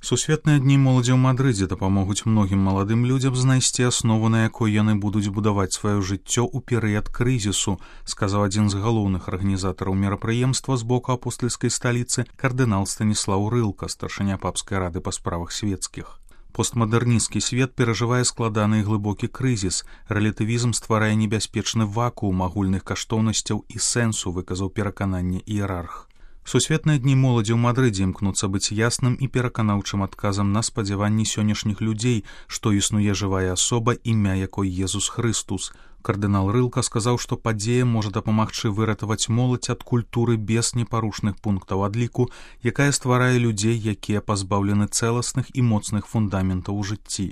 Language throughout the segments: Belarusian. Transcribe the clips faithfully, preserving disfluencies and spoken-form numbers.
Сусветныя дні моладзі ў Мадрыдзе дапамогуць многім маладым людзям знайсці аснову, на якой яны будуць будаваць сваё жыццё ў перыяд крызісу, сказаў адзін з галоўных арганізатараў мерапрыемства з боку апостальскай сталіцы кардынал Станіслаў Рылка, старшыня папскай рады па справах свецкіх. Постмадэрнісцкі свет перажывае складаны і глыбокі крызіс. Рэлятывізм стварае небяспечны вакуум агульных каштоўнасцяў і сэнсу, выказаў перакананне іерарх. Сусветныя дні моладзі ў Мадрыдзе імкнуцца быць ясным і пераканаўчым адказам на спадзяванні сённяшніх людзей, што існуе жывая асоба, імя якой Езус Хрыстус. Кардынал Рылка сказаў, што падзея можа дапамагчы выратаваць моладзь ад культуры без непарушных пунктаў адліку, якая стварае людзей, якія пазбаўлены цэласных і моцных фундаментаў у жыцці.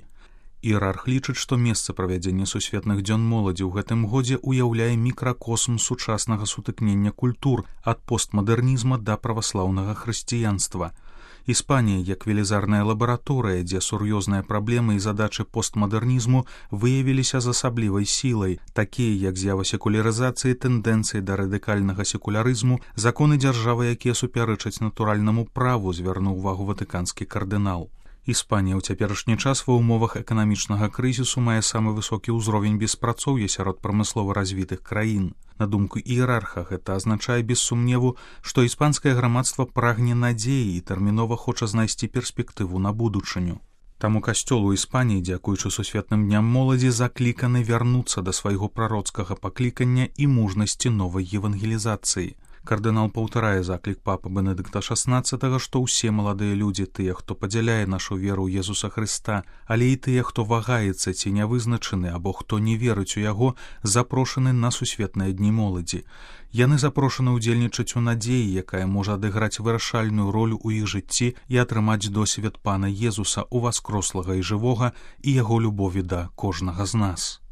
Іерарх лічыць, што месца правядзення сусветных дзён моладзі ў гэтым годзе ўяўляе мікракосм сучаснага сутыкнення культур ад постмадэрнізма да праваслаўнага хрысціянства. Іспанія, як велізарная лабараторыя, дзе сур'ёзныя праблемы і задачы постмадэрнізму выявіліся з асаблівай сілай, такія як з'ява секулярызацыі, тэндэнцыі да радыкальнага секулярызму, законы дзяржавы, якія супярэчаць натуральнаму праву, звярнуў увагу ватыканскі кардынал. Іспанія ў цяперашні час ва ўмовах эканамічнага крызісу мае самы высокі ўзровень беспрацоўя сярод прамыслова развітых краін. На думку іерарха, гэта азначае без сумневу, што іспанскае грамадства прагне надзеі і тэрмінова хоча знайсці перспектыву на будучыню. Таму касцёл у Іспаніі, дзякуючы сусветным дням моладзі, закліканы вярнуцца да свайго прароцкага паклікання і мужнасці новай евангелізацыі. Кардынал паўтарае заклік папы Бенедыкта шаснаццатага, што ўсе маладыя людзі, тыя, хто падзяляе нашу веру ў Езуса Хрыста, але і тыя, хто вагаецца ці не вызначаны або хто не верыць у яго, запрошаны на сусветныя дні моладзі. Яны запрошаны ўдзельнічаць у надзеі, якая можа адыграць вырашальную ролю ў іх жыцці і атрымаць досвед пана Езуса, уваскрослага і жывога, і яго любові да кожнага з нас.